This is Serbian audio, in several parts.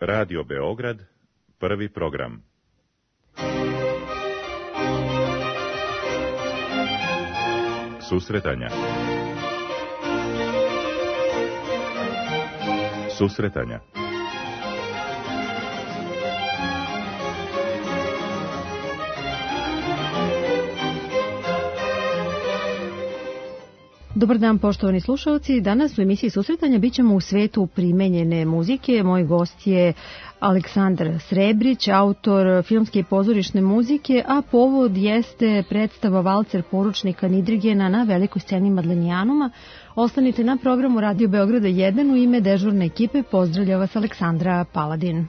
Radio Beograd, prvi program. Susretanja. Susretanja. Dobar dan, poštovani slušalci. Danas u emisiji Susretanja bit ćemo u svetu primenjene muzike. Moj gost je Aleksandar Srebrić, autor filmske i pozorišne muzike, a povod jeste predstava Valcer poručnika Nidrigena na velikoj sceni Madlenijanuma. Ostanite na programu Radio Beograda 1. U ime dežurne ekipe pozdravlja vas Aleksandra Paladin.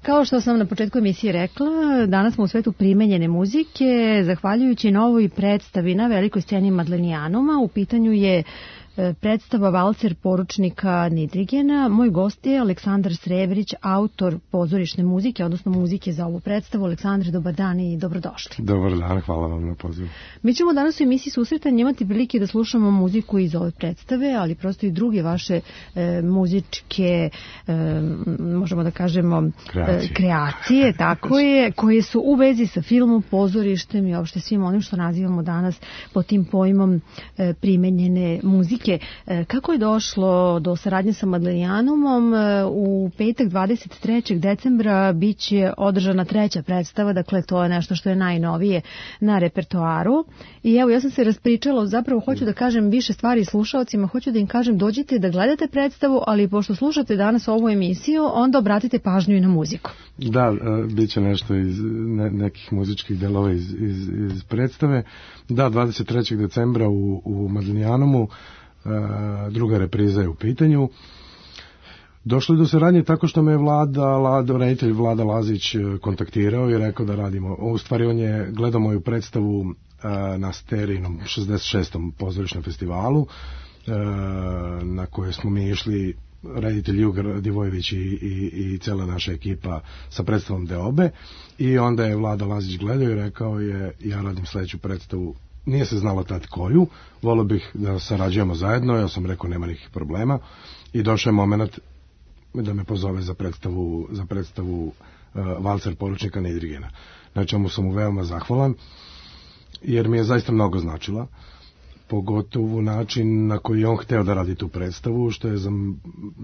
Kao što sam na početku emisije rekla, danas smo u svetu primenjene muzike, zahvaljujući novoj predstavi na velikoj sceni Madlenijanuma. U pitanju je predstava Valcer poručnika Nidrigena. Moj gost je Aleksandar Srebrić, autor pozorišne muzike, odnosno muzike za ovu predstavu. Aleksandre, dobar dan i dobrodošli. Dobar dan, hvala vam na pozivu. Mi ćemo danas u emisiji Susretanja imati prilike da slušamo muziku iz ove predstave, ali prosto i druge vaše muzičke, možemo da kažemo, kreacije, tako je, koje su u vezi sa filmom, pozorištem i uopšte svim onim što nazivamo danas pod tim pojmom primenjene muzike. Kako je došlo do saradnje sa Madlenijanumom? U petak 23. decembra biće održana treća predstava, dakle to je nešto što je najnovije na repertoaru. I evo, ja sam se raspričala, zapravo hoću da kažem više stvari slušalcima, hoću da im kažem dođite da gledate predstavu, ali pošto slušate danas ovu emisiju, onda obratite pažnju i na muziku. Da, bit će nešto iz nekih muzičkih delova iz predstave. Da, 23. decembra u Madlenijanumu, druga repriza je u pitanju. Došlo je do saradnje tako što me reditelj Vlada Lazić kontaktirao i rekao da radimo. U stvari on je gledao moju predstavu na Sterinom 66. pozorišnom festivalu na koje smo mi išli, reditelj Juga Divojević i cela naša ekipa sa predstavom Deobe, i onda je Vlada Lazić gledao i rekao je ja radim sledeću predstavu. Nije se znalo tad koju, volio bih da sarađujemo zajedno, ja sam rekao nema nikih problema i došao je moment da me pozove za predstavu Valcer poručnika Nidrigena. Na čemu sam mu veoma zahvalan, jer mi je zaista mnogo značila, pogotovo način na koji je on hteo da radi tu predstavu, što je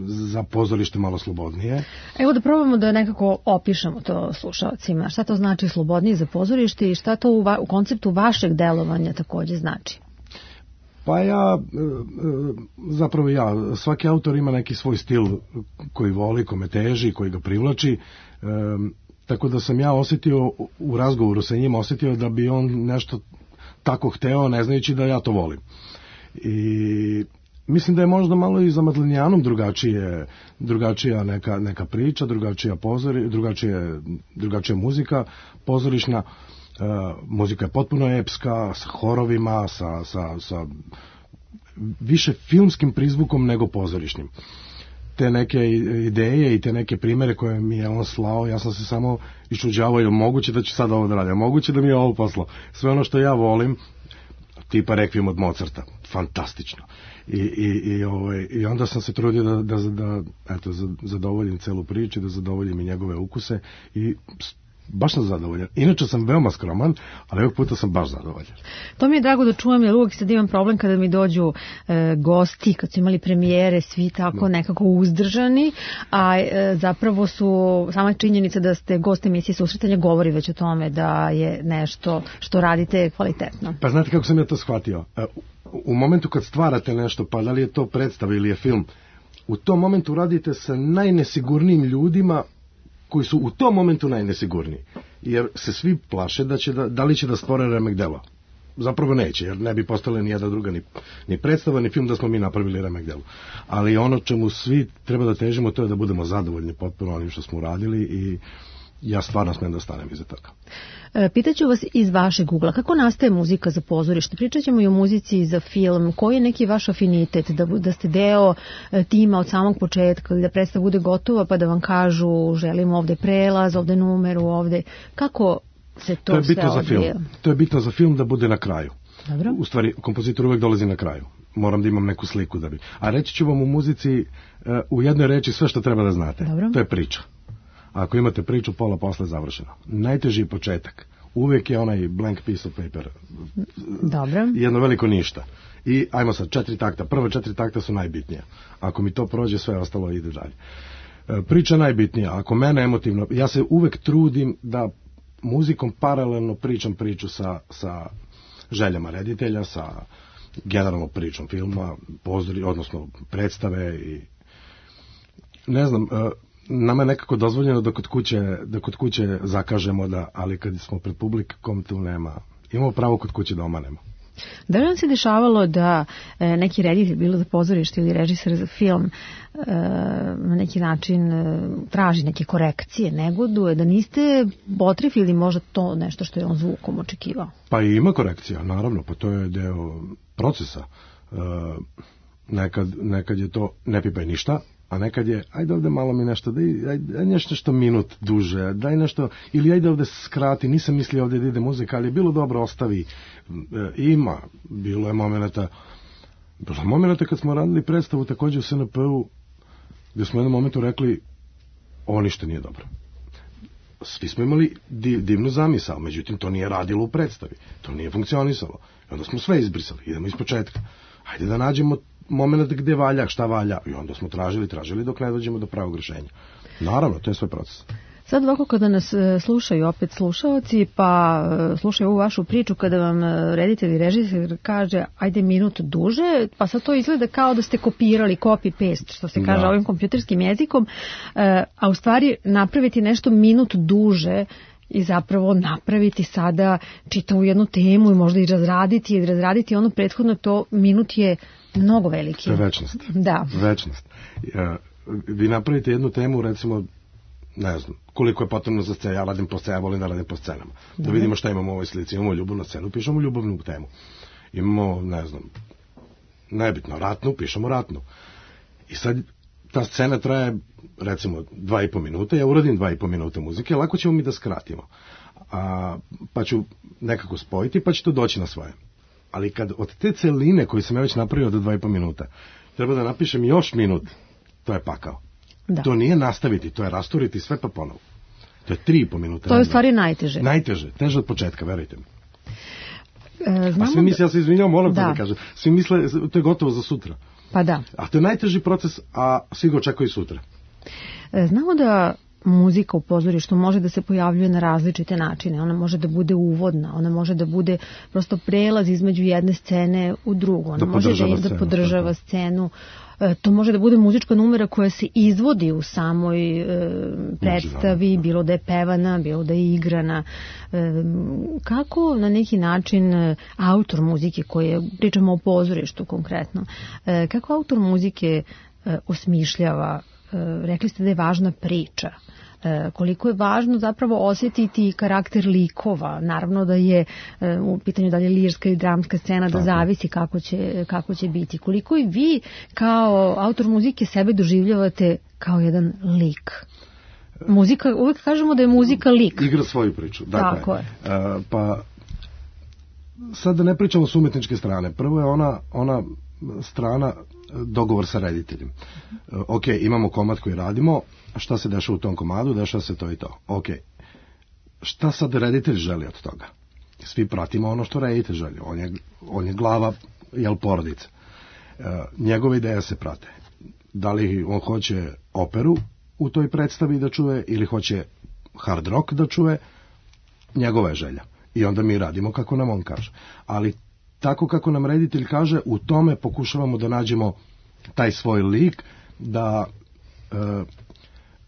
za pozorište malo slobodnije. Evo da probamo da nekako opišemo to slušalcima. Šta to znači slobodnije za pozorište i šta to u konceptu vašeg delovanja takođe znači? Pa svaki autor ima neki svoj stil koji voli, kome teži, koji ga privlači, tako da sam ja osetio u razgovoru sa njim, osetio da bi on nešto tako hteo, ne znajući da ja to volim. I mislim da je možda malo i za Madlenijanum drugačija neka priča, drugačija muzika pozorišna. Muzika je potpuno epska, sa horovima, sa više filmskim prizvukom nego pozorišnim. Te neke ideje i te neke primere koje mi je on slao, ja sam se samo iščuđavao, je moguće da ću sad ovo da radim, moguće da mi je ovo poslao. Sve ono što ja volim, tipa Rekvijum od Mozarta, fantastično. I onda sam se trudio da zadovoljim celu priču, da zadovoljim i njegove ukuse i baš sam zadovoljan. Inače sam veoma skroman, ali ovog puta sam baš zadovoljan. To mi je drago da čuvam, jer uvijek sad imam problem kada mi dođu gosti, kad su imali premijere, svi tako nekako uzdržani, a zapravo su sama činjenica da ste gost emisije Susretanja govori već o tome da je nešto što radite kvalitetno. Pa znate kako sam ja to shvatio? U momentu kad stvarate nešto, pa da li je to predstava ili je film, u tom momentu radite sa najnesigurnijim ljudima koji su u tom momentu najnesigurniji, jer se svi plaše da li će da stvore remek delo. Zapravo neće, jer ne bi postale ni jedna druga ni predstava, ni film da smo mi napravili remek delo. Ali ono čemu svi treba da težimo, to je da budemo zadovoljni potpuno onim što smo uradili ja stvarno smem da stanem iza toga. Pitaću vas iz vašeg ugla, kako nastaje muzika za pozorište? Pričat ćemo i o muzici za film. Koji je neki vaš afinitet? Da ste deo tima od samog početka ili da predstava bude gotova pa da vam kažu želimo ovde prelaz, ovde numeru, ovde... Kako se to sve odvija? To je bitno za film da bude na kraju. Dobro. U stvari, kompozitor uvek dolazi na kraju. Moram da imam neku sliku da bi... A reći ću vam u muzici u jednoj reči sve što treba da znate. Dobro. To je priča. Ako imate priču, pola posle je završeno. Najteži početak. Uvijek je onaj blank piece of paper. Dobro. Jedno veliko ništa. I ajmo sad, 4 takta. Prva 4 takta su najbitnija. Ako mi to prođe, sve ostalo ide dalje. Priča najbitnija. Ako mene emotivno... Ja se uvek trudim da muzikom paralelno pričam priču sa željama reditelja, sa generalnom pričom filma, odnosno predstave i... Ne znam... Nama je nekako dozvoljeno da kod kuće zakažemo, ali kad smo pred publikom tu nema. Imamo pravo kod kuće da omanemo. Da li vam se dešavalo da neki reditelj, bilo za pozorište ili režiser za film, na neki način traži neke korekcije, negoduje, da niste potrefili možda to nešto što je on zvukom očekivao? Pa i ima korekcija, naravno, pa to je deo procesa. Nekad je to ne pipaj ništa, a nekad je, ajde ovde malo mi nešto, daj nešto minut duže, daj nešto, ili ajde ovde skrati, nisam mislio ovde da ide muzika, ali je bilo dobro, ostavi. Bilo je momenata kad smo radili predstavu takođe u SNP-u, gde smo u jednom momentu rekli, ovo ništa nije dobro. Svi smo imali divnu zamisao, međutim to nije radilo u predstavi, to nije funkcionisalo. I onda smo sve izbrisali, idemo iz početka. Ajde da nađemo moment gde valja, šta valja. I onda smo tražili dok ne dođemo do pravog rešenja. Naravno, to je sve proces. Sad ovako kada nas slušaju opet slušaoci, pa slušaju ovu vašu priču, kada vam reditelj i režiser kaže ajde minut duže, pa sad to izgleda kao da ste kopirali copy-paste, što se kaže ovim kompjuterskim jezikom, a u stvari napraviti nešto minut duže i zapravo napraviti sada čitavu jednu temu i možda i razraditi ono prethodno, to minut je mnogo veliki. To je večnost. Da. Večnost. Vi napravite jednu temu, recimo, ne znam, koliko je potrebno za scenu, ja radim po scenu, ja volim da radim po scenama. Da vidimo šta imamo u ovoj slici, imamo ljubavnu scenu, pišemo ljubavnu temu. Imamo, ne znam, nebitno, ratnu, pišemo ratnu. I sad ta scena traje, recimo, 2,5 minuta, ja uradim 2,5 minuta muzike, lako ćemo mi da skratimo. Pa ću nekako spojiti, pa će to doći na svoje. Ali kad od te celine koju sam ja već napravio do 2,5 minuta, treba da napišem još minut, to je pakao. Da. To nije nastaviti, to je rasturiti sve pa ponovo. To je 3,5 minuta. To je u stvari najteže. Najteže, teže od početka, verujte mi. A svi misle, ja se izvinjam, moram to da kažem, svi misle, to je gotovo za sutra. Pa da. A to je najteži proces, a svi ga očekuju sutra. Znamo da muzika u pozorištu može da se pojavljuje na različite načine. Ona može da bude uvodna, ona može da bude prosto prelaz između jedne scene u drugu. Ona može da podržava scenu. To može da bude muzička numera koja se izvodi u samoj predstavi, bilo da je pevana, bilo da je igrana. Kako na neki način autor muzike, pričamo o pozorištu konkretno, kako autor muzike osmišljava, rekli ste da je važna priča, koliko je važno zapravo osjetiti karakter likova, naravno da je u pitanju da li je lirska ili dramska scena, da zavisi kako će biti. Koliko i vi kao autor muzike sebe doživljavate kao jedan lik? Muzika, uvek kažemo da je muzika lik. Igra svoju priču. Tako je. Pa sad da ne pričamo s umetničke strane. Prvo je ona strana dogovor sa rediteljem. Ok, imamo komad koji radimo, šta se dešava u tom komadu, dešava se to i to. Ok, šta sad reditelj želi od toga? Svi pratimo ono što reditelj želi. On je glava, porodice. Njegove ideje se prate. Da li on hoće operu u toj predstavi da čuje ili hoće hard rock da čuje, njegova je želja. I onda mi radimo kako nam on kaže. Ali tako kako nam reditelj kaže, u tome pokušavamo da nađemo taj svoj lik, da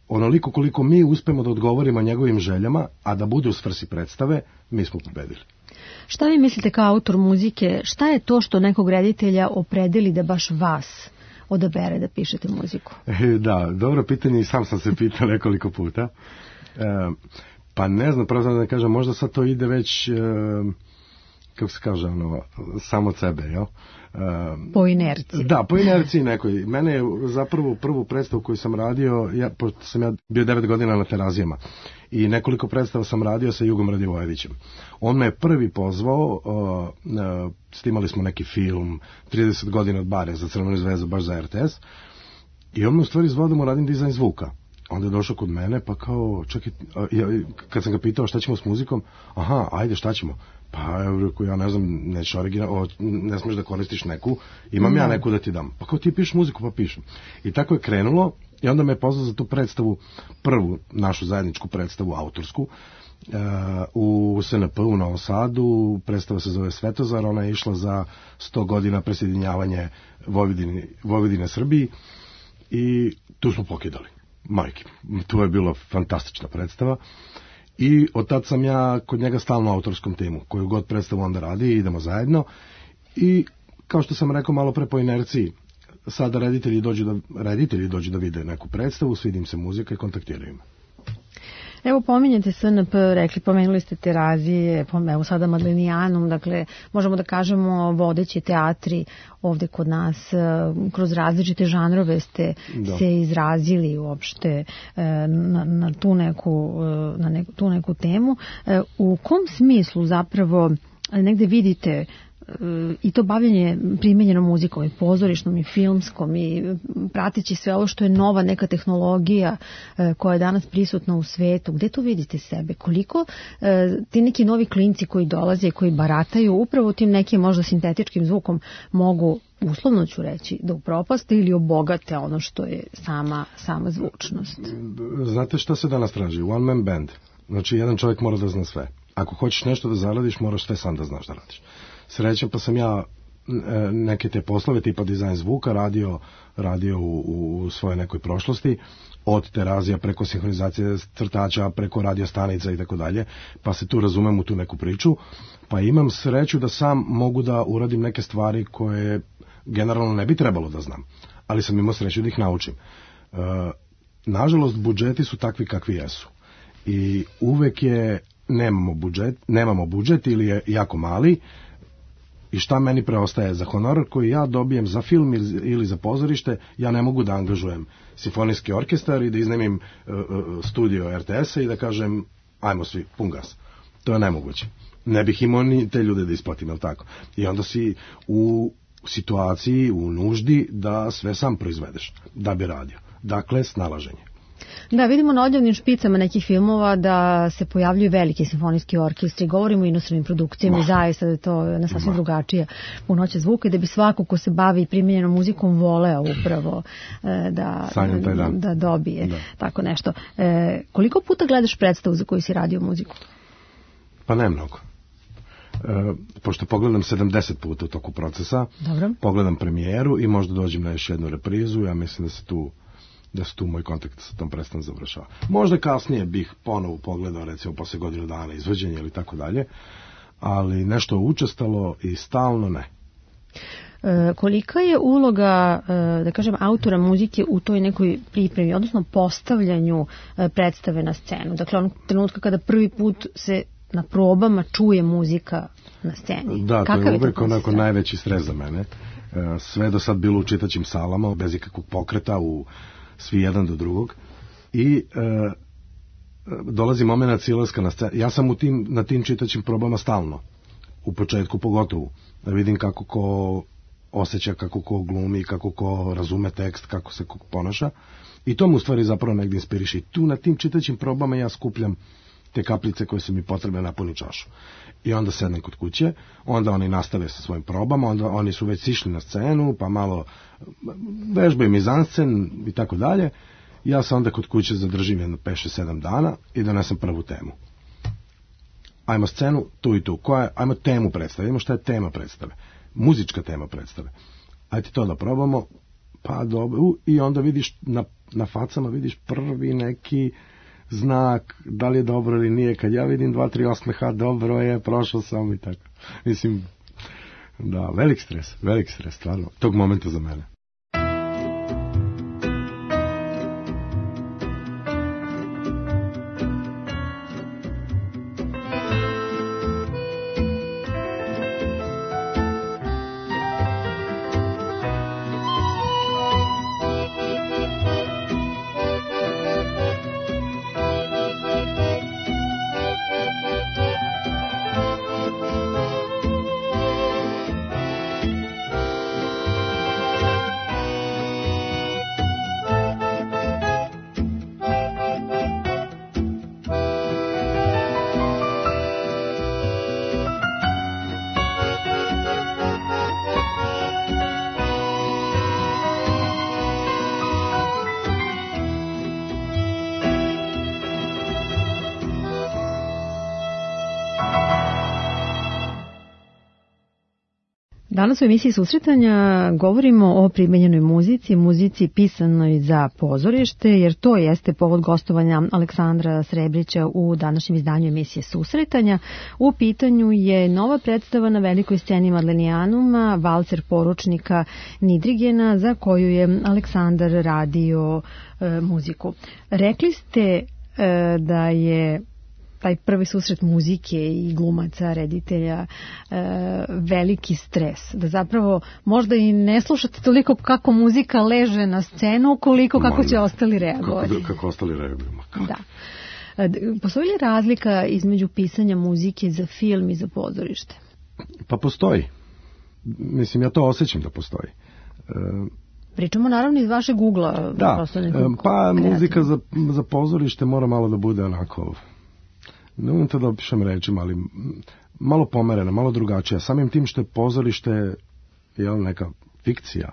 onoliko koliko mi uspemo da odgovorimo njegovim željama, a da bude u svrsi predstave, mi smo pobedili. Šta vi mislite kao autor muzike, šta je to što nekog reditelja opredeli da baš vas odabere da pišete muziku? Da, dobro pitanje i sam sam se pitao nekoliko puta. Pa ne znam, pravo da kažem, možda sad to ide već, kako se kaže, samo od sebe, jel? Po inerciji. Da, po inerciji nekoj. Mene je zapravo prvu predstavu koju sam radio, pošto sam ja bio 9 godina na Terazijama i nekoliko predstava sam radio sa Jugom Radivojevićem. On me je prvi pozvao, snimali smo neki film 30 godina od bare za Crvenu zvezdu, baš za RTS, i on me u stvari zvao da mu radim dizajn zvuka. Onda je došao kod mene, pa kao, čekaj, kad sam ga pitao šta ćemo s muzikom, aha, ajde, šta ćemo? Pa, ja ne znam, neću original, ne smiješ da koristiš neku, imam ja neku da ti dam. Pa kao, ti pišeš muziku, pa pišem. I tako je krenulo, i onda me je pozvao za tu predstavu, prvu našu zajedničku predstavu, autorsku, u SNP u Novom Sadu. Predstava se zove Svetozar, ona je išla za 100 godina presjedinjavanje Vojvodine Srbiji, i tu smo pokidali. Majke, to je bila fantastična predstava i od tad sam ja kod njega stalno u autorskom timu, koju god predstavu onda radi, idemo zajedno, i kao što sam rekao malo pre po inerciji, sada reditelji dođu da vide neku predstavu, svidi im se muzika i kontaktiraju me. Evo, pominjete SNP, pomenuli ste Terazije, evo sada Madlenijanum, dakle, možemo da kažemo vodeći teatri ovde kod nas, kroz različite žanrove ste se izrazili uopšte na tu neku temu. U kom smislu zapravo negde vidite i to bavljenje primenjenom muzikom i pozorišnom i filmskom i prateći sve ovo što je nova neka tehnologija koja je danas prisutna u svetu, gde tu vidite sebe? Koliko ti neki novi klinci koji dolaze i koji barataju upravo tim nekim možda sintetičkim zvukom mogu, uslovno ću reći, da upropaste ili obogate ono što je sama zvučnost? Znate šta se danas traži? One man band. Znači, jedan čovjek mora da zna sve. Ako hoćeš nešto da zaradiš, moraš sve sam da znaš da radiš. Srećem, pa sam ja neke te poslove tipa dizajn zvuka radio u svojoj nekoj prošlosti, od Terazija preko sinhronizacije crtača, preko radio stanica i tako dalje, pa se tu razumem u tu neku priču, pa imam sreću da sam mogu da uradim neke stvari koje generalno ne bi trebalo da znam, ali sam imao sreću da ih naučim. Nažalost, budžeti su takvi kakvi jesu i uvek je nemamo budžet ili je jako mali. I šta meni preostaje? Za honorar koji ja dobijem za film ili za pozorište, ja ne mogu da angažujem simfonijski orkestar i da iznemim studio RTS-a i da kažem, ajmo svi, pun gas. To je nemoguće. Ne bih imao ni te ljude da isplatim, jel tako? I onda si u situaciji, u nuždi da sve sam proizvedeš, da bi radio. Dakle, snalaženje. Da, vidimo na odjavnim špicama nekih filmova da se pojavljuju veliki simfonijski orkestri, govorimo o inostranim produkcijama i zaista da je to na sasvim drugačija punoća zvuka i da bi svako ko se bavi primjenjenom muzikom voleo upravo da dobije tako nešto. Koliko puta gledaš predstavu za koju si radio muziku? Pa ne mnogo. Pošto pogledam 70 puta u toku procesa, pogledam premijeru i možda dođem na još jednu reprizu, ja mislim da se tu moj kontakt sa tom predstavom završava. Možda kasnije bih ponovo pogledao, recimo posle godinu dana izvođenja ili tako dalje, ali nešto učestalo i stalno ne. Kolika je uloga, da kažem, autora muzike u toj nekoj pripremi, odnosno postavljanju predstave na scenu? Dakle, onog trenutka kada prvi put se na probama čuje muzika na sceni. Da, to je uvek onako najveći stres za mene. Sve do sad bilo u čitaćim salama, bez ikakvog pokreta, svi jedan do drugog. I dolazi moment silaska na scenu. Ja sam na tim čitaćim probama stalno. U početku pogotovo. Da vidim kako ko osjeća, kako ko glumi, kako ko razume tekst, kako se ko ponaša. I to mu u stvari zapravo negdje inspiriše. I tu na tim čitaćim probama ja skupljam te kapljice koje su mi potrebne napuni čašu. I onda sednem kod kuće, onda oni nastave sa svojim probama, onda oni su već sišli na scenu, pa malo vežbaju mizanscen i tako dalje. Ja se onda kod kuće zadržim jedno 5-7 dana i donesem prvu temu. Ajmo scenu, tu i tu. Ajmo temu predstave, vidimo šta je tema predstave. Muzička tema predstave. Ajde to da probamo, pa dobro. I onda vidiš, na facama vidiš prvi neki znak, da li je dobro ili nije. Kad ja vidim 2-3 osmeha, dobro je, prošao sam i tako. Mislim, da, velik stres, stvarno, tog momenta za mene. Danas u emisiji Susretanja govorimo o primenjenoj muzici, muzici pisanoj za pozorište, jer to jeste povod gostovanja Aleksandra Srebrića u današnjem izdanju emisije Susretanja. U pitanju je nova predstava na velikoj sceni Madlenijanuma, Valcer poručnika Nidrigena, za koju je Aleksandar radio muziku. Rekli ste da je taj prvi susret muzike i glumaca, reditelja, veliki stres. Da zapravo možda i ne slušate toliko kako muzika leže na scenu, koliko kako će ostali reagovati. Kako ostali reaguju. Da. Postoji li razlika između pisanja muzike za film i za pozorište? Pa postoji. Mislim, ja to osjećam da postoji. Pričamo naravno iz vašeg ugla. Da, pa muzika za pozorište mora malo da bude onako, ne umem to da opišem rečima, ali malo pomerena, malo drugačija. Samim tim što je pozorište neka fikcija.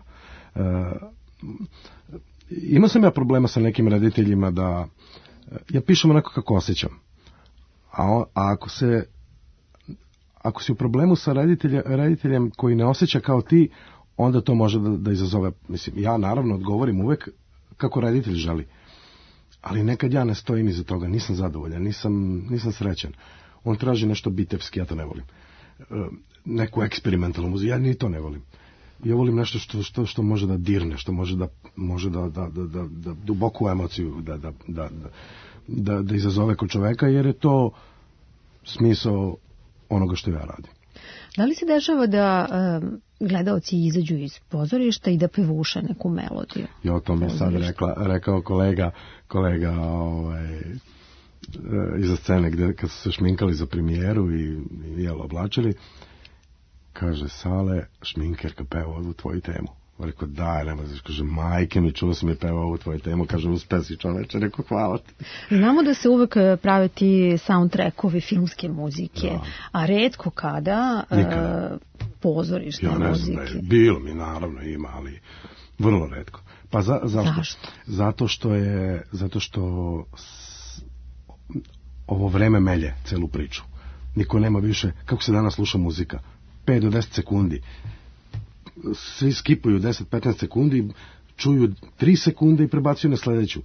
Imao sam ja problema sa nekim rediteljima da ja pišem onako kako osjećam. A ako si u problemu sa rediteljem koji ne osjeća kao ti, onda to može da izazove. Mislim, ja naravno odgovorim uvek kako reditelj želi. Ali nekad ja ne stojim iza toga, nisam zadovoljan, nisam srećan. On traži nešto bitevski, ja to ne volim. Neku eksperimentalnu muziku, ja ni to ne volim. Ja volim nešto što može da dirne, što može da duboku emociju da izazove kod čoveka, jer je to smisao onoga što ja radim. Da li se dešava da gledaoci izađu iz pozorišta i da pevuše neku melodiju? Jo, to mi je sad rekao kolega iza scene kad su se šminkali za premijeru i oblačili, kaže, Sale, šminkerka peva ovu tvoju temu. Rekao, daj, nema znaš, kaže, majke mi, čuo sam je peva ovu tvoju temu, kaže, uspe si čoveče, rekao, hvala ti. Znamo da se uvek prave ti soundtrackovi filmske muzike, da. A retko kada pozorišne muzike. Ja ne znam, bilo mi naravno ima, ali vrlo retko. Pa zašto? Zato što ovo vreme melje celu priču. Niko nema više, kako se danas sluša muzika, 5 do 10 sekundi. Svi skipuju 10-15 sekundi, čuju 3 sekunde i prebacuju na sledeću.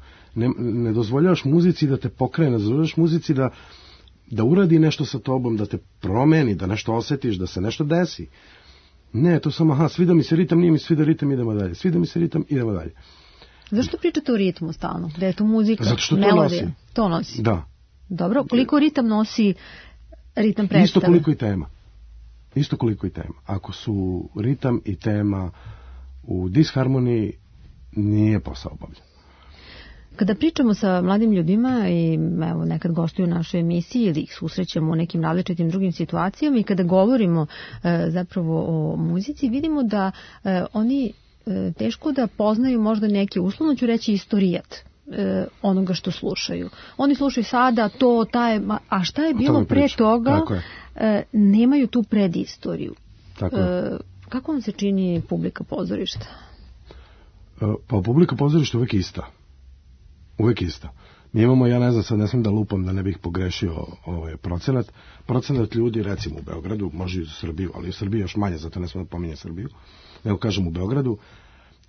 Ne dozvoljavaš muzici da te pokrene, ne dozvoljavaš muzici da uradi nešto sa tobom, da te promeni, da nešto osetiš, da se nešto desi. Ne, to samo, svida mi se ritam, nije mi svida ritam, idemo dalje. Svida mi se ritam, idemo dalje. Zašto pričate o ritmu stalno? Da je to muzika, zato što melodija? To nosi. To nosi. Da. Dobro, koliko ritam nosi ritam predstave? Isto koliko i tema. Ako su ritam i tema u disharmoniji, nije posao obavljen. Kada pričamo sa mladim ljudima i evo nekad gostuju u našoj emisiji ili ih susrećemo u nekim različitim drugim situacijama i kada govorimo zapravo o muzici, vidimo da oni teško da poznaju možda neki, uslovno ću reći, istorijat onoga što slušaju. Oni slušaju sada to, a šta je bilo pre toga, nemaju tu predistoriju. Kako vam se čini publika pozorišta? Pa publika pozorišta uvek ista. Uvek ista. Mi imamo, ja ne znam, sad ne smijem da lupam da ne bih pogrešio procenat ljudi, recimo u Beogradu, može i u Srbiju, ali u Srbiji još manje, zato ne smijem da pominje Srbiju, nego kažem u Beogradu,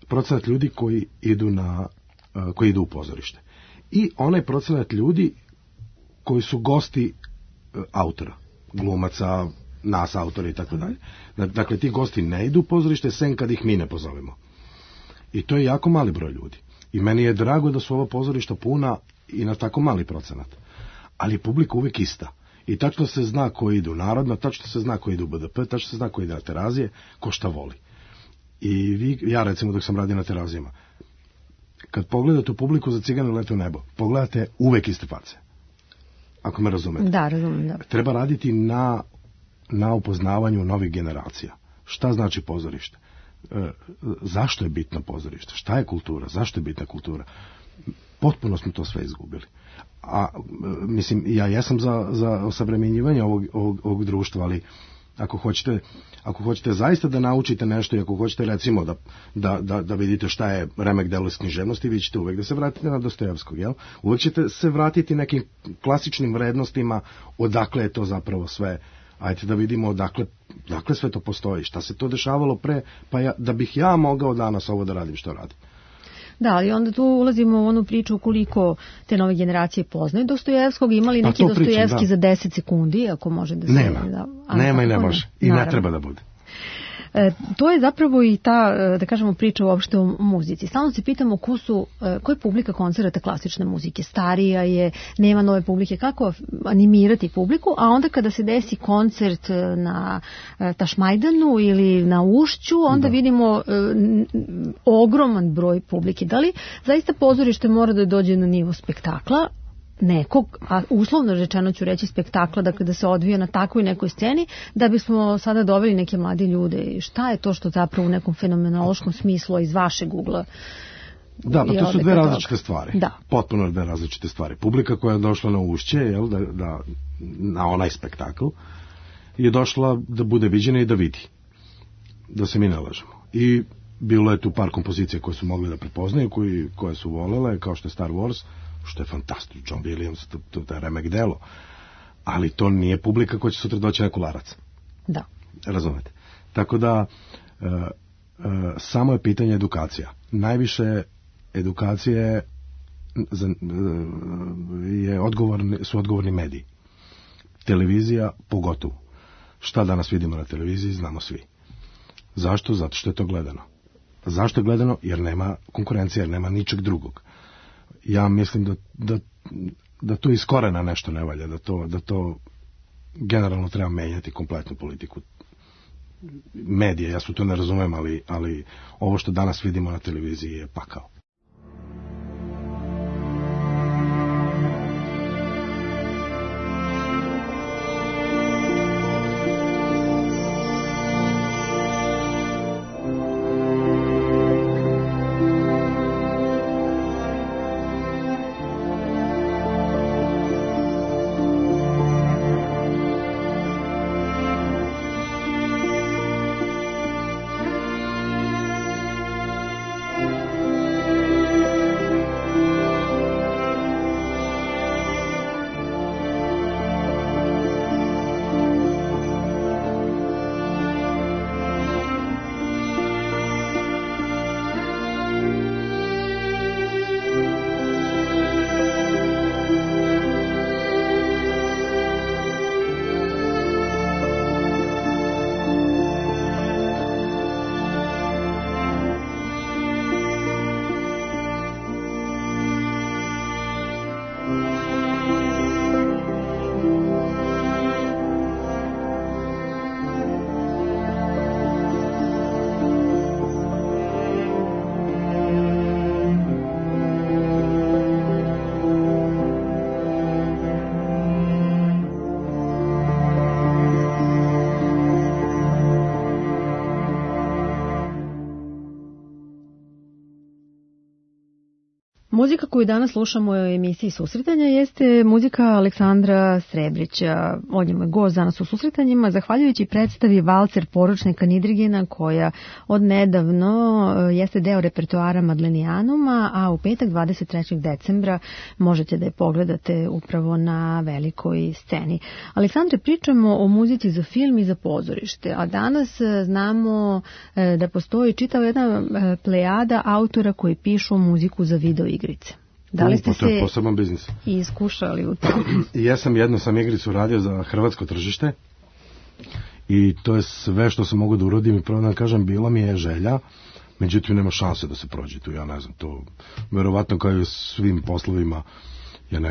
procenat ljudi koji idu u pozorište. I onaj procenat ljudi koji su gosti autora, glumaca, nas autora i tako dalje. Dakle, ti gosti ne idu u pozorište sem kad ih mi ne pozovemo. I to je jako mali broj ljudi. I meni je drago da su ova pozorišta puna i na tako mali procenat. Ali je publika uvek ista. I tačno se zna ko ide u Narodno, tačno se zna ko ide u BDP, tačno se zna ko ide na Terazije, ko šta voli. I ja recimo dok sam radio na Terazijama, kad pogledate u publiku za Cigane lete u nebo, pogledate uvek iste face. Ako me razumete. Da, razumem, da. Treba raditi na upoznavanju novih generacija. Šta znači pozorište? Zašto je bitno pozorište? Šta je kultura? Zašto je bitna kultura? Potpuno smo to sve izgubili. A mislim, ja jesam za osavremenjivanje ovog društva, ali ako hoćete zaista da naučite nešto i ako hoćete recimo da vidite šta je remek delo iz književnosti, vi ćete uvek da se vratite na Dostojevskog, jel? Uvek ćete se vratiti nekim klasičnim vrednostima odakle je to zapravo sve Ajde da vidimo dakle sve to postoji, šta se to dešavalo pre, pa da bih ja mogao danas ovo da radim što radim. Da, ali onda tu ulazimo u onu priču koliko te nove generacije poznaju Dostojevskog, imali neki Dostojevski za 10 sekundi, ako može da se... Nema i ne može. I ne treba da bude. To je zapravo i ta, da kažemo, priča uopšte o muzici. Stalno se pitamo ko je publika koncerata klasične muzike. Starija je, nema nove publike. Kako animirati publiku? A onda kada se desi koncert na Tašmajdanu ili na Ušću, onda vidimo ogroman broj publike. Da li zaista pozorište mora da dođe na nivo spektakla? Nekog, a uslovno rečeno ću reći spektakla, dakle da se odvija na takvoj nekoj sceni, da bismo sada doveli neke mlade ljude. Šta je to što zapravo u nekom fenomenološkom smislu iz vašeg ugla? Da, pa to su dve različite stvari. Da. Potpuno dve različite stvari. Publika koja je došla na Ušće, na onaj spektakl, je došla da bude viđena i da vidi. Da se mi ne lažemo. I bilo je tu par kompozicija koje su mogli da prepoznaju, koje su volele, kao što je Star Wars, što je fantastično, John Williams, to je remek delo, ali to nije publika koja će sutra doći na Kularac. Da. Razumete? Tako da, samo je pitanje edukacija. Najviše edukacije su odgovorni mediji. Televizija pogotovo. Šta danas vidimo na televiziji, znamo svi. Zašto? Zato što je to gledano. Zašto je gledano? Jer nema konkurencije, jer nema ničeg drugog. Ja mislim da to iz korena nešto ne valja, da to generalno treba menjati kompletnu politiku medije. Ja se to ne razumem, ali ovo što danas vidimo na televiziji je pakao. Muzika koju danas slušamo u emisiji Susretanja jeste muzika Aleksandra Srebrića. On je moj gost danas u Susretanjima, zahvaljujući predstavi Valcer poručnika Nidrigena, koja od nedavno jeste deo repertoara Madlenijanuma, a u petak 23. decembra možete da je pogledate upravo na velikoj sceni. Aleksandre, pričamo o muzici za film i za pozorište, a danas znamo da postoji čitava jedna plejada autora koji pišu muziku za video igrice. Da li ste to je poseban biznis. Iskušali u to? Ja sam jednu igricu radio za hrvatsko tržište i to je sve što sam mogu da uradim i pravo da kažem, bila mi je želja, međutim nema šanse da se prođe tu, ja ne znam, to verovatno kao i svim poslovima je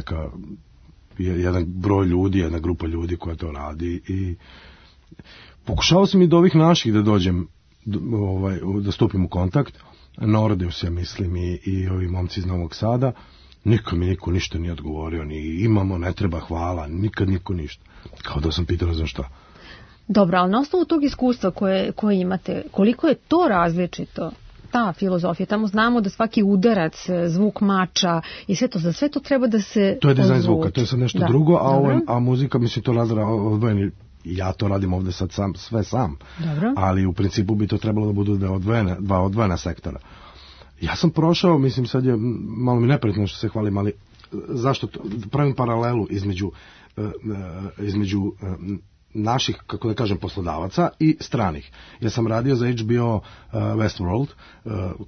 jedan broj ljudi, jedna grupa ljudi koja to radi i pokušao sam i do ovih naših da dođem, da stupim u kontakt. Nordeus, ja mislim, i ovi momci iz Novog Sada, nikad mi niko ništa nije odgovorio, ni imamo, ne treba, hvala, nikad niko ništa. Kao da sam pitao, ne znam šta. Dobro, ali na osnovu tog iskustva koje imate, koliko je to različito, ta filozofija? Tamo znamo da svaki udarac, zvuk mača i sve to, za sve to treba da se... To je dizajn zvuka, to je sad nešto drugo, a muzika, mislim, to odvojeni. Ja to radim ovde sad sve sam. Dobro. Ali u principu bi to trebalo da budu dva odvojena sektora. Ja sam prošao, sad je malo mi neprijatno što se hvalim, ali zašto pravim paralelu između naših, kako da kažem, poslodavaca i stranih. Ja sam radio za HBO Westworld,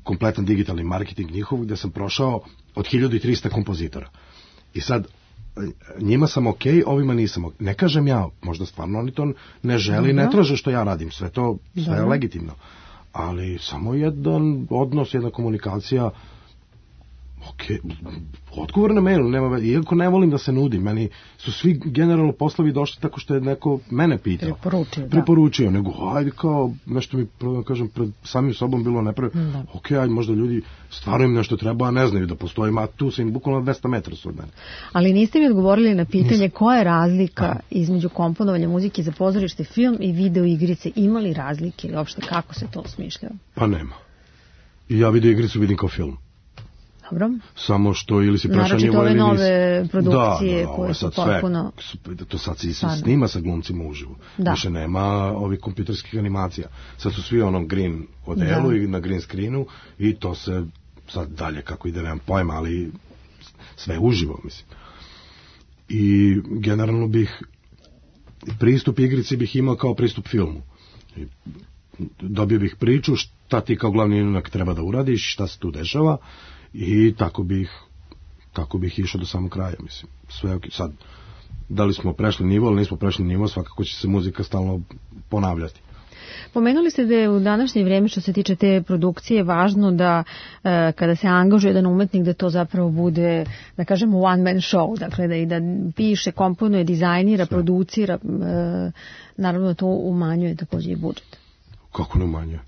kompletan digitalni marketing njihov, gde sam prošao od 1300 kompozitora. I sad, njima sam okej, ovima nisam okej. Ne kažem ja, možda stvarno oni to ne želi, ne traže što ja radim, sve je legitimno. Ali samo jedan odnos, jedna komunikacija, odgovor na mail, iako ne volim da se nudim, meni su svi generalno poslovi došli tako što je neko mene pitao. Preporučio, nego hajde kao, nešto mi, kažem, pred samim sobom bilo nepravilno. Ajde, možda ljudi stvarno im nešto treba, a ne znaju da postoji, a tu sam im bukvalno 200 metara su od mene. Ali niste mi odgovorili na pitanje koja je razlika između komponovanja muzike za pozorište, film i video igrice. Ima li razlike ili uopšte kako se to smišljao? Pa nema. I ja video igricu vidim kao film. Dobro. Samo što ili si prešao nivo ili nisi. Naravno nove produkcije koje su potpuno... To sad se snima sa glumcima uživo. Više nema ovih kompjuterskih animacija. Sad su svi onom green odelu i na green screenu i to se sad dalje kako ide, nemam pojma, ali sve uživo, mislim. I generalno bih pristup igrici bih imao kao pristup filmu. Dobio bih priču šta ti kao glavni junak treba da uradiš, šta se tu dešava. I tako bih išao do samog kraja, mislim. Sve ok. Sad, da li smo prešli nivo ili nismo prešli nivo, svakako će se muzika stalno ponavljati. Pomenuli ste da je u današnje vrijeme što se tiče te produkcije važno da kada se angažuje jedan umetnik da to zapravo bude, da kažemo, one man show, dakle da piše, komponuje, dizajnira, producira, naravno to umanjuje također i budžet. Kako ne umanjuje?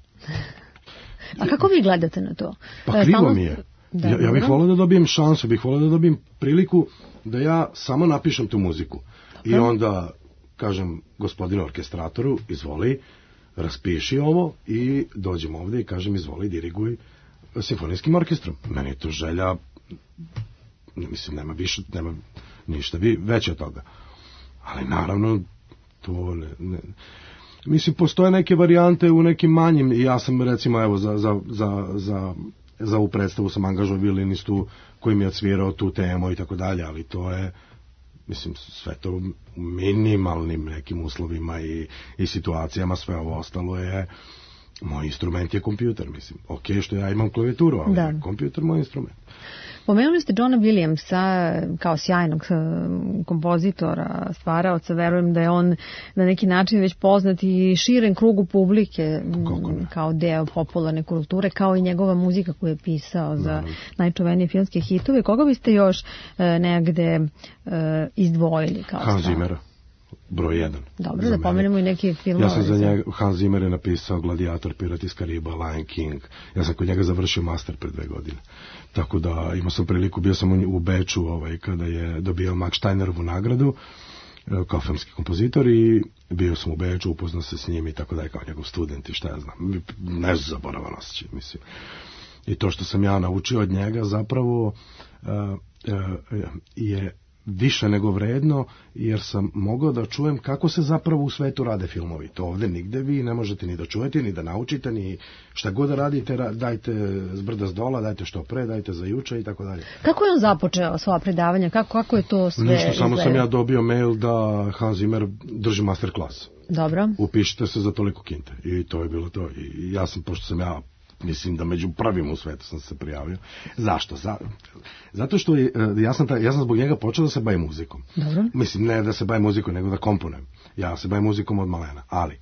A kako vi gledate na to? Pa krivo mi je. Ja bih volio da dobijem šansu, bih volio da dobijem priliku da ja samo napišem tu muziku. I onda kažem gospodinu orkestratoru, izvoli, raspiši ovo i dođem ovdje i kažem izvoli, diriguj simfonijskim orkestrom. Meni je to želja, mislim, nema ništa veće od toga. Ali naravno, to ne. Mislim, postoje neke varijante u nekim manjim, i ja sam recimo, evo, za ovu predstavu sam angažovao violinistu koji mi je odsvirao tu temu i tako dalje, ali to je, mislim, sve to u minimalnim nekim uslovima i situacijama, sve ovo ostalo je, moj instrument je kompjuter, mislim, ok, što ja imam klavijaturu, ali kompjuter moj instrument. Pomenuli ste Johna Williamsa kao sjajnog kompozitora, stvaraoca, verujem da je on na neki način već poznat i širen krugu publike kao deo popularne kulture, kao i njegova muzika koju je pisao za najčuvenije filmske hitove. Koga biste još negde izdvojili? Hans Zimmera. Broj 1. Dobro, da pomenemo i neki filmove. Ja sam za njega, Hans Zimmer je napisao Gladiator, Pirat iz Kariba, Lion King. Ja sam kod njega završio master pred 2 godine. Tako da imao sam priliku, bio sam u Beču kada je dobio Max Steinerovu nagradu kao filmski kompozitor i bio sam u Beču, upoznao se s njim i tako da je kao njegov student i šta ja znam. Nezaboravan osjećaj, mislim. I to što sam ja naučio od njega zapravo je više nego vredno, jer sam mogao da čujem kako se zapravo u svetu rade filmovi. To ovdje nigde vi ne možete ni da čujete, ni da naučite, ni šta god da radite, dajte zbrda s dola, dajte što pre, dajte za juče i tako dalje. Kako je on započeo svoja predavanja? Kako je to sve izgledalo? Samo sam ja dobio mail da Hans Zimmer drži masterclass. Dobro. Upišite se za toliko kinte. I to je bilo to. I ja sam, pošto sam ja mislim da među prvim u svetu sam se prijavio. Zašto? Zato što ja sam zbog njega počeo da se bavim muzikom. Dobro. Mislim, ne da se bavim muzikom, nego da komponujem. Ja se bavim muzikom od malena. Ali,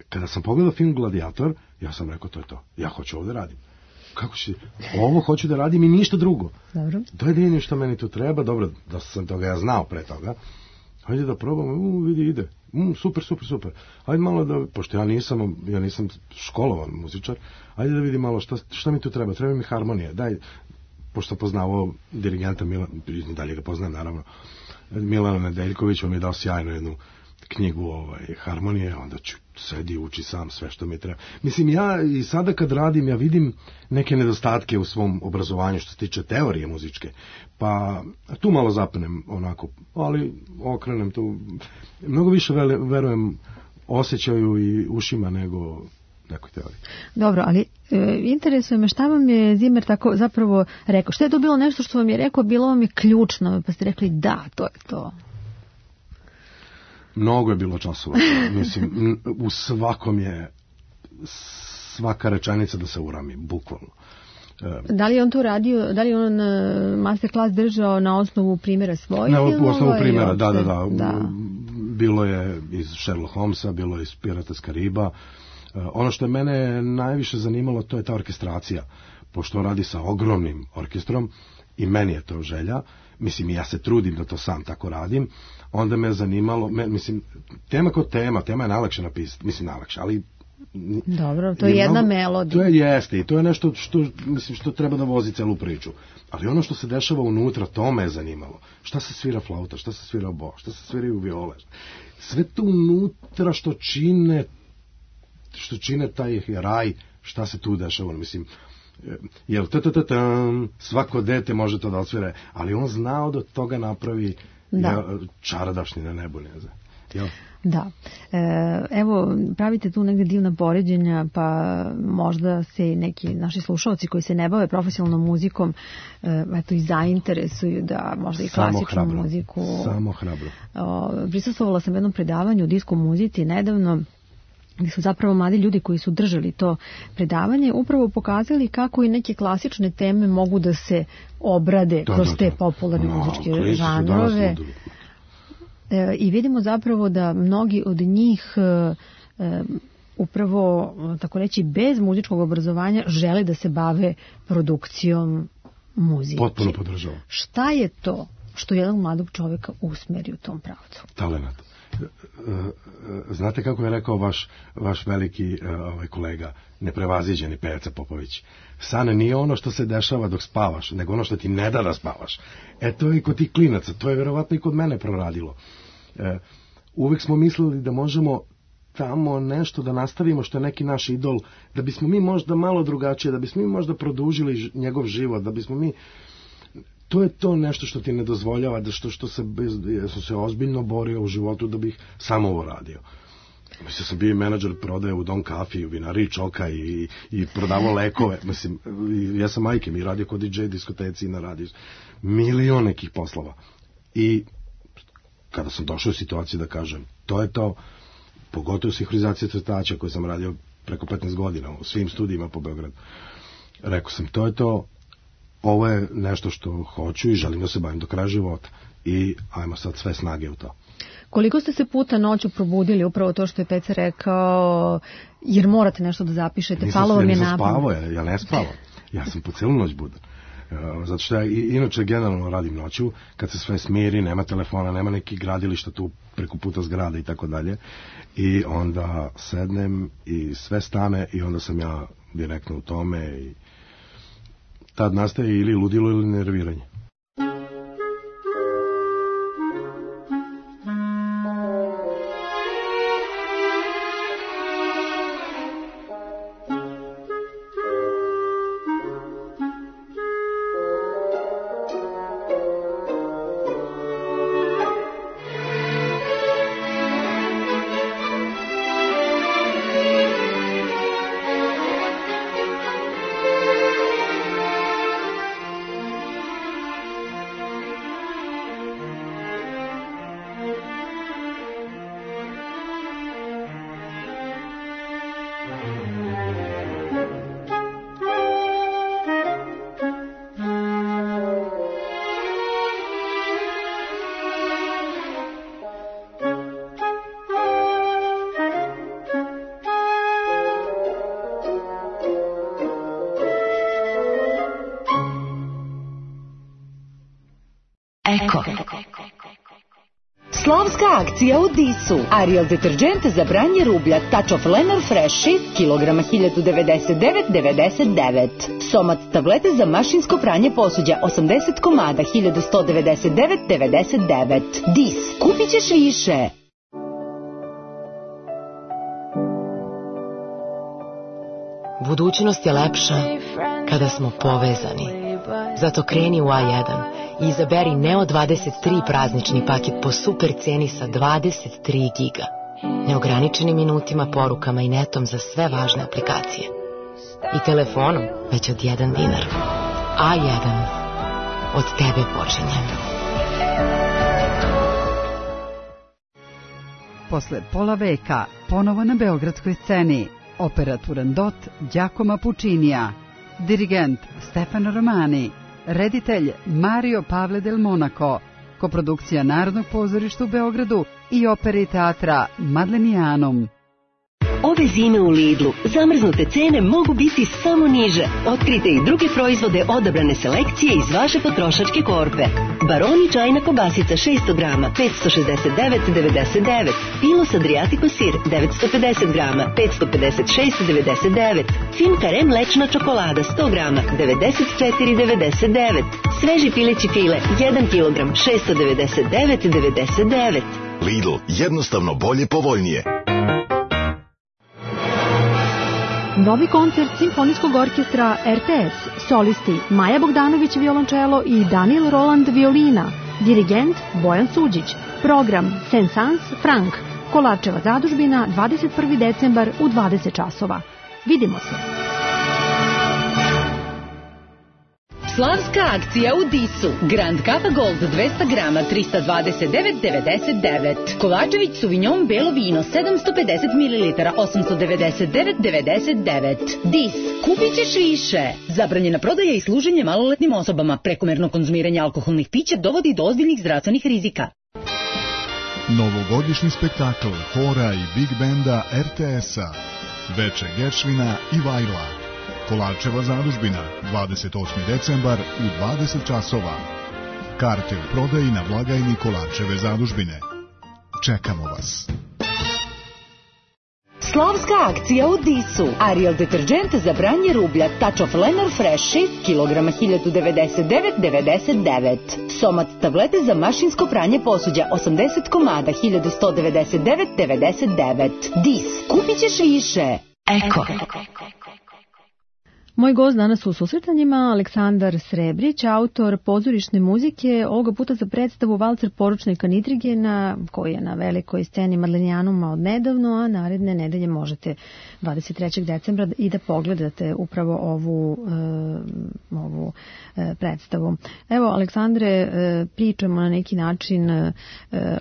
kada sam pogledao film Gladiator, ja sam rekao, to je to. Ja hoću ovdje radim. Kako će? Ovo hoću da radim i ništa drugo. Dobro. To je jedino što meni tu treba. Dobro, da sam toga ja znao pre toga. Hajde da probam, vidi, ide. Super. Hajde malo da, pošto ja nisam školovan muzičar, hajde da vidim malo šta mi tu treba. Treba mi harmonija. Daj, pošto poznao dirigenta dalje ga poznajem naravno, Milana Nedeljković, on mi je dao sjajnu jednu knjigu harmonije, onda ću sedi uči sam sve što mi treba. Mislim, ja i sada kad radim, ja vidim neke nedostatke u svom obrazovanju što se tiče teorije muzičke, pa tu malo zapnem onako, ali okrenem tu, mnogo više verujem osjećaju i ušima nego nekoj teoriji. Dobro, ali interesuje me šta vam je Zimmer tako zapravo rekao, što je to bilo nešto što vam je rekao, bilo vam je ključno, pa ste rekli da, to je to. Mnogo je bilo časova. Mislim, u svakom je svaka rečenica da se urami, bukvalno. Da li je on to radio, da li je on masterclass držao na osnovu primjera svojih? Na osnovu primjera, da. Bilo je iz Sherlock Holmesa, bilo je iz Pirata s Kariba. Ono što je mene najviše zanimalo, to je ta orkestracija. Pošto on radi sa ogromnim orkestrom i meni je to želja, mislim ja se trudim da to sam tako radim, onda me zanimalo, mislim, tema kod tema je najlakše napisati, mislim najlakše, ali dobro, to je jedna melodija. To je jeste i to je nešto što treba da vozi celu priču. Ali ono što se dešava unutra, to me je zanimalo. Šta se svira flauta, šta se svira obo, šta se sviraju viole. Sve to unutra što čine taj raj, šta se tu dešava, mislim, jel svako dete može to da odsvire, ali on znao da toga napravi čaradašnji na nebu, ne znam. Jel? Da. Evo, pravite tu negde divna poređenja, pa možda se neki naši slušalci koji se ne bave profesionalnom muzikom eto i zainteresuju da možda i klasičnu muziku. Samo hrabro. Prisustvovala sam jednom predavanju o disko muzici nedavno, gdje su zapravo mladi ljudi koji su držali to predavanje upravo pokazali kako i neke klasične teme mogu da se obrade kroz te popularne muzičke žanrove. I vidimo zapravo da mnogi od njih upravo, tako reći, bez muzičkog obrazovanja žele da se bave produkcijom muzike. Potpuno podržavam. Šta je to što jednog mladog čovjeka usmeri u tom pravcu? Talenat. Znate kako je rekao vaš veliki kolega, neprevaziđeni Peca Popović? San nije ono što se dešava dok spavaš, nego ono što ti ne da spavaš. To je i kod tih klinaca, to je verovatno i kod mene proradilo. Uvek smo mislili da možemo tamo nešto da nastavimo što je neki naš idol, da bismo mi možda malo drugačije, da bismo mi možda produžili njegov život, da bismo mi... To je to nešto što ti ne dozvoljava, da što sam se ozbiljno borio u životu da bih samo ovo radio. Mislim, sam bio menadžer prodaje u Don Kafi, u vinari Čoka i prodavao lekove. Mislim, ja sam majke, mi radio kod DJ diskoteci i na radiju. Milion nekih poslova. I kada sam došao u situaciju da kažem, to je to, pogotovo sinhronizacija crtača koju sam radio preko 15 godina u svim studijima po Beogradu. Rekao sam, to je to, ovo je nešto što hoću i želim da se bavim do kraja života. I ajmo sad sve snage u to. Koliko ste se puta noću probudili, upravo to što je Peca rekao, jer morate nešto da zapišete, palo vam je napad? Nisam spavao, ja ne spavam. Ja sam po celu noć budan. Zato što ja inače generalno radim noću, kad se sve smiri, nema telefona, nema nekih gradilišta tu preko puta zgrada i tako dalje. I onda sednem i sve stane i onda sam ja direktno u tome i tad nastaje ili ludilo ili nerviranje. Slavska akcija u Disu. Ariel deterđent za branje rublja Touch of Lenor Fresh 6 kg 1099,99. Somat tablete za mašinsko pranje posuđa 80 komada 1199,99. Dis. Kupit ćeš više. Budućnost je lepša kada smo povezani. Zato kreni u A1 i izaberi Neo 23 praznični paket po super ceni sa 23 giga. Neograničenim minutima, porukama i netom za sve važne aplikacije. I telefonom već od 1 dinar. A1. Od tebe počinjem. posle pola veka ponovo na beogradskoj sceni. Operaturan dot Giacomo Puccinija, dirigent Stefano Romani, reditelj Mario Pavle del Monaco, koprodukcija Narodnog pozorišta u Beogradu i opere i teatra Madlenijanum. Ove zime u Lidlu zamrznute cene mogu biti samo niže. Otkrite i druge proizvode odabrane selekcije iz vaše potrošačke korpe. Baroni čajna kobasica 600 grama 569,99. Pilos Adriatico sir 950 grama 556,99. Fin Kare mlečna čokolada 100 grama 94,99. Sveži pileći file 1 kg 699,99. Lidl, jednostavno bolje, povoljnije. Novi koncert Simfonijskog orkestra RTS, solisti Maja Bogdanović violončelo i Daniel Roland violina, dirigent Bojan Suđić, program Saint-Saëns Frank, Kolarčeva zadužbina, 21. decembar u 20 časova. Vidimo se! Slavska akcija u Disu. Grand Cava Gold 200 grama 329,99. Kovačević Sauvignon belo vino 750 ml 899,99. Dis. Kupit ćeš više. Zabranjena prodaja i služenje maloletnim osobama. Prekomerno konzumiranje alkoholnih pića dovodi do ozbiljnih zdravstvenih rizika. Novogodišnji spektakl hora i big benda RTS-a. Veče Geršvina i Vajla. Kolarčeva zadužbina, 28. decembar u 20 časova. Karte u prodaji na blagajni Kolarčeve zadužbine. Čekamo vas. Slavska akcija u Disu. Ariel deterđent za branje rublja Touch of Lenor Fresh 6 kg 1099,99. Somat tablete za mašinsko pranje posuđa 80 komada 1199,99. Dis. Kupit ćeš više. Eko. Moj gost danas u susretanjima Aleksandar Srebrić, autor pozorišne muzike, ovoga puta za predstavu Valcer poručnika Nidrigena, koji je na velikoj sceni Madlenijanuma od nedavno, a naredne nedelje možete 23. decembra i da pogledate upravo ovu predstavu. Evo, Aleksandre, pričamo na neki način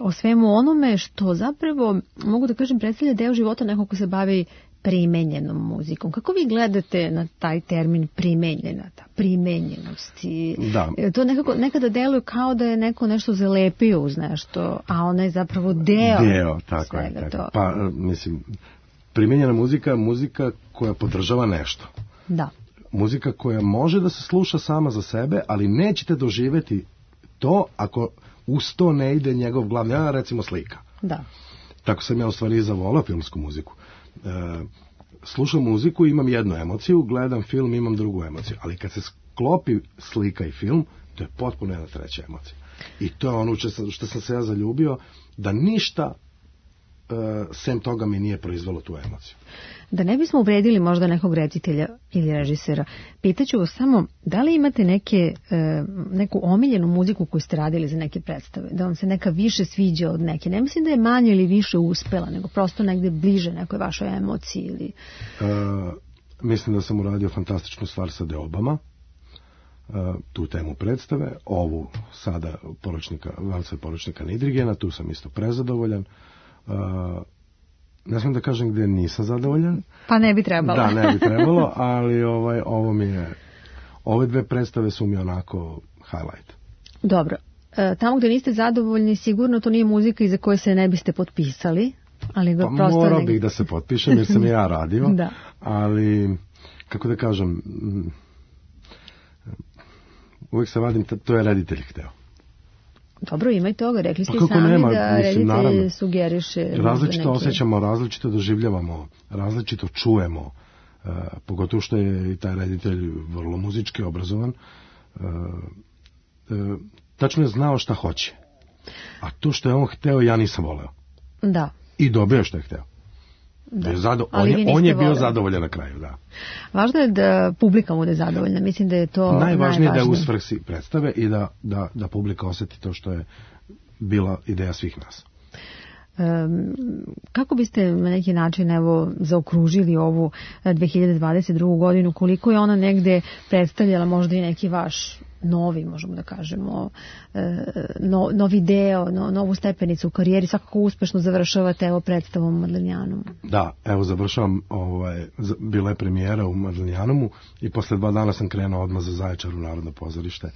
o svemu onome što zapravo, mogu da kažem, predstavlja deo života nekog ko se bavi primenjenom muzikom. Kako vi gledate na taj termin primenjena, ta primenjenost? Da. To nekada deluje kao da je neko nešto zalepio uz nešto, a ona je zapravo deo tako svega je, to. Pa, mislim, primenjena muzika koja podržava nešto. Da. Muzika koja može da se sluša sama za sebe, ali nećete doživeti to ako uz to ne ide njegov glavni, recimo slika. Da. Tako sam ja u stvari zavolao filmsku muziku. Slušam muziku, imam jednu emociju, gledam film, imam drugu emociju, ali kad se sklopi slika i film, to je potpuno jedna treća emocija. I to je ono što sam se ja zaljubio, da ništa sem toga mi nije proizvelo tu emociju. Da ne bismo uvredili možda nekog reditelja ili režisera, pitaću vas samo, da li imate neku omiljenu muziku koju ste radili za neke predstave? Da vam se neka više sviđa od neke? Ne mislim da je manje ili više uspela, nego prosto negde bliže nekoj vašoj emociji ili... Mislim da sam uradio fantastičnu stvar sa Deobama, tu temu predstave, ovu sada Valcer poručnika Nidrigena, tu sam isto prezadovoljan. Ne smijem da kažem gdje nisam zadovoljan. Pa ne bi trebalo. Da, ne bi trebalo, ali ovo mi je, ove dve predstave su mi onako highlight. Dobro. Tamo gdje niste zadovoljni, sigurno to nije muzika iza koje se ne biste potpisali. Ali pa morao bih da se potpišem jer sam ja radio. Da. Ali, kako da kažem, uvijek se vadim, to je reditelj hteo. Dobro, ima i toga, rekli ste sami da reditelj sugeriše. Različito osjećamo, različito doživljavamo, različito čujemo, pogotovo što je i taj reditelj vrlo muzički obrazovan. Tačno je znao šta hoće. A to što je on hteo, ja nisam voleo. Da. I dobio što je hteo. On je bio zadovoljan na kraju, da. Važno je da publika bude zadovoljna, mislim da je to najvažnije. Da je u svrsi predstave i da publika osjeti to što je bila ideja svih nas. Kako biste na neki način zaokružili ovu 2022. godinu, koliko je ona negde predstavljala možda i neki vaš novi, možemo da kažemo, novi deo, novu stepenicu u karijeri, svakako uspešno završavate evo predstavom u Madlenjanomu. Da, evo završavam, bila je premijera u Madlenjanomu i posle 2 dana sam krenuo odmah za Zaječar u Narodno pozorište.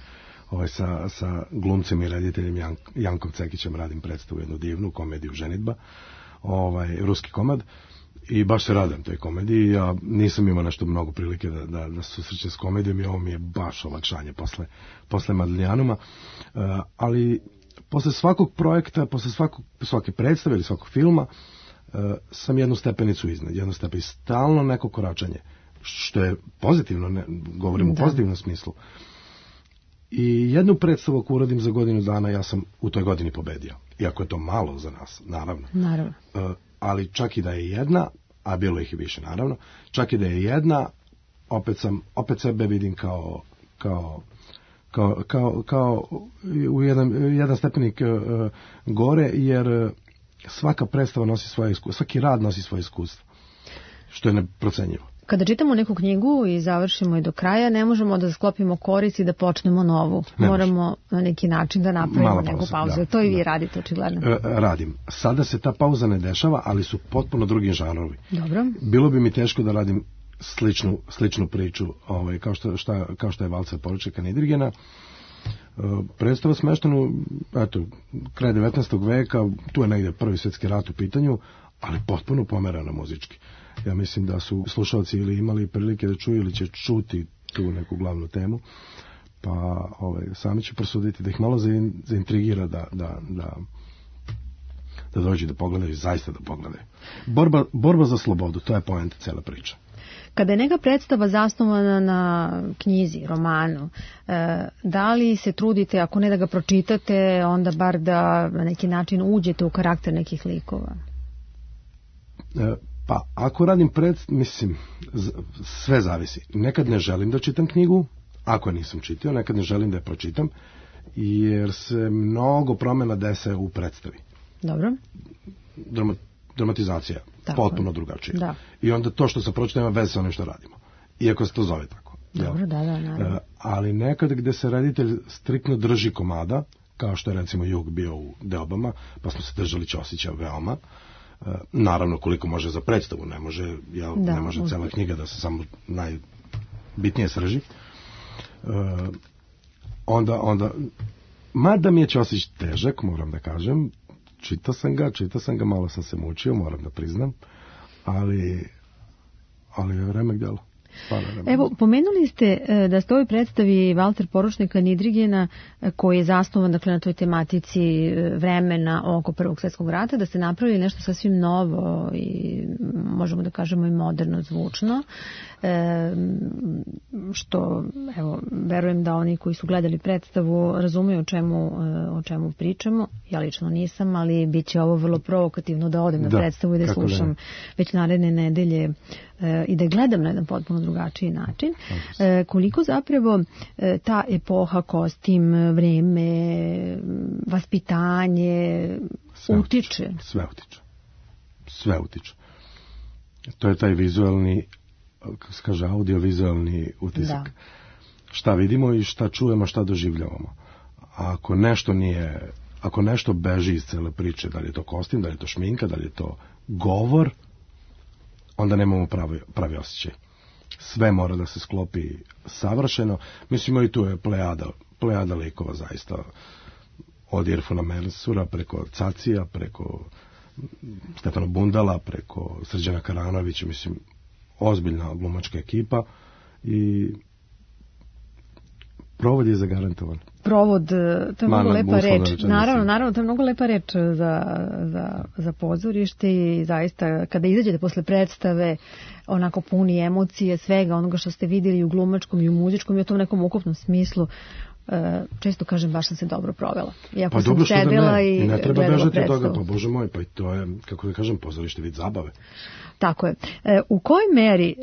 Sa glumcem i rediteljem Jankom Cekićem radim predstavu, jednu divnu komediju Ženidba, ruski komad, i baš se radim toj komediji. Ja nisam imao nešto mnogo prilike da susrećem s komedijom i ovo mi je baš olakšanje posle Madlenjanuma, ali posle svakog projekta, posle svake predstave ili svakog filma sam jednu stepenicu iznad, stalno neko koračanje, što je pozitivno, govorim u pozitivnom smislu. I jednu predstavu ako uradim za godinu dana, ja sam u toj godini pobedio. Iako je to malo za nas, naravno. Ali čak i da je jedna, a bilo ih i više, naravno, čak i da je jedna, opet sebe vidim kao u jedan stepenik gore, jer svaka predstava nosi svoje iskustvo, svaki rad nosi svoje iskustvo, što je neprocenjivo. Kada čitamo neku knjigu i završimo je do kraja, ne možemo da sklopimo koris i da počnemo novu. Moramo na neki način da napravimo neku pauzu. To i vi radite, očigledno. Radim. Sada se ta pauza ne dešava, ali su potpuno drugi žanrovi. Dobro. Bilo bi mi teško da radim sličnu priču, kao što je Valcer poručnika Nidrigena. Predstava smeštena, kraj 19. veka, tu je negdje Prvi svjetski rat u pitanju, ali potpuno pomerana muzički. Ja mislim da su slušalci ili imali prilike da čuju ili će čuti tu neku glavnu temu, pa sami će prosuditi, da ih malo zaintrigira da dođu da pogledaju, zaista da pogledaju. Borba za slobodu, to je poenta cela priča. Kada je neka predstava zasnovana na knjizi, romanu, da li se trudite, ako ne da ga pročitate, onda bar da na neki način uđete u karakter nekih likova? Pa, ako radim mislim, sve zavisi. Nekad ne želim da čitam knjigu, ako je nisam čitao, nekad ne želim da je pročitam, jer se mnogo promjena dese u predstavi. Dobro. Dramatizacija, potpuno drugačija. Da. I onda to što sam pročitao ima veze sa onim što radimo. Iako se to zove tako. Dobro, naravno. Ali nekad gde se reditelj striktno drži komada, kao što je recimo Jug bio u Deobama, pa smo se držali Ćosića veoma, naravno koliko može za predstavu, ne može cela knjiga da se samo najbitnije srži. Onda mada mi je Ćosić težak, moram da kažem, čitao sam ga, malo sam se mučio, moram da priznam, ali je remek delo. Evo, pomenuli ste da ste u ovoj predstavi Valter poručnika Nidrigena, koji je zasnovan na toj tematici vremena oko Prvog svjetskog rata, da ste napravili nešto sasvim novo i možemo da kažemo i moderno zvučno, što, evo, verujem da oni koji su gledali predstavu razumeju o čemu pričamo. Ja lično nisam, ali bit će ovo vrlo provokativno da odem na predstavu i da slušam već naredne nedelje i da gledam na jedan potpuno drugačiji način. Koliko zapravo ta epoha, kostim, vreme, vaspitanje utiče? Sve utiče. To je taj vizualni, kako se kaže, audiovizualni utisak. Šta vidimo i šta čujemo, šta doživljavamo. Ako nešto beži iz cele priče, da li je to kostim, da li je to šminka, da li je to govor, onda nemamo pravi osjećaj. Sve mora da se sklopi savršeno. Mislimo i tu je plejada likova zaista. Od Irfana Mensura, preko Cacija, preko Stefana Bundala, preko Srđana Karanovića, mislim, ozbiljna glumačka ekipa i provod je zagarantovan. Provod, to je mnogo lepa reč. Naravno, to je mnogo lepa reč za pozorište i zaista kada izađete posle predstave onako puni emocije, svega onoga što ste vidjeli u glumačkom i u muzičkom i u tom nekom ukupnom smislu, često kažem, baš sam se dobro provela. Iako sam sedela i ne treba bežati od toga, pa bože moj, pa i to je, kako da kažem, pozorište vid zabave. Tako je. U kojoj meri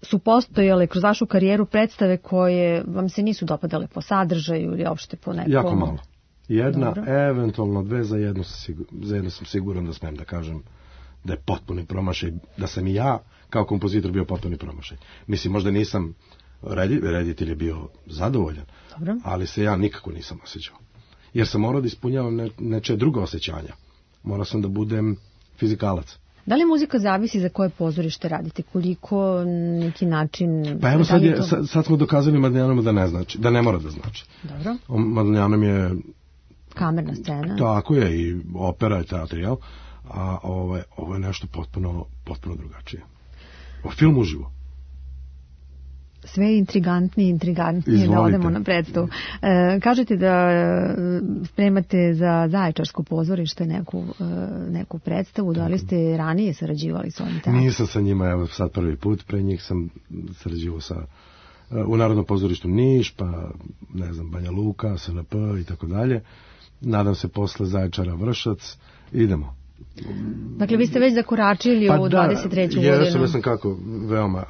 su postojale kroz vašu karijeru predstave koje vam se nisu dopadale po sadržaju ili uopšte po nekom? Jako malo. Jedna, eventualno dve, za jednu sam siguran da smem da kažem da je potpuni promašaj, da sam i ja kao kompozitor bio potpuni promašaj. Mislim, možda nisam reditelj je bio zadovoljan, dobro, ali se ja nikako nisam osjećao. Jer sam morao da ispunjavam nečije druga osjećanja. Morao sam da budem fizikalac. Da li muzika zavisi za koje pozorište radite? Koliko, neki način... Pa evo sad smo dokazali Madljanama da ne znači, da ne mora da znači. Dobro. Madljanam je... kamerna scena. Tako je, i opera i teatrijal, a ovo je nešto potpuno drugačije. Film uživo. Sve intrigantnije da odemo na predstavu. Kažete da spremate za Zaječarsko pozorište neku predstavu, da li ste ranije sarađivali s ovim teatrom? Nisam sa njima, evo sad prvi put, pre njih sam sarađivao u Narodnom pozorištu Niš, pa ne znam, Banja Luka, SNP i tako dalje. Nadam se posle Zaječara Vršac, idemo. Dakle, vi ste već zakoračili u 23. godinu. Ja sam kako, veoma.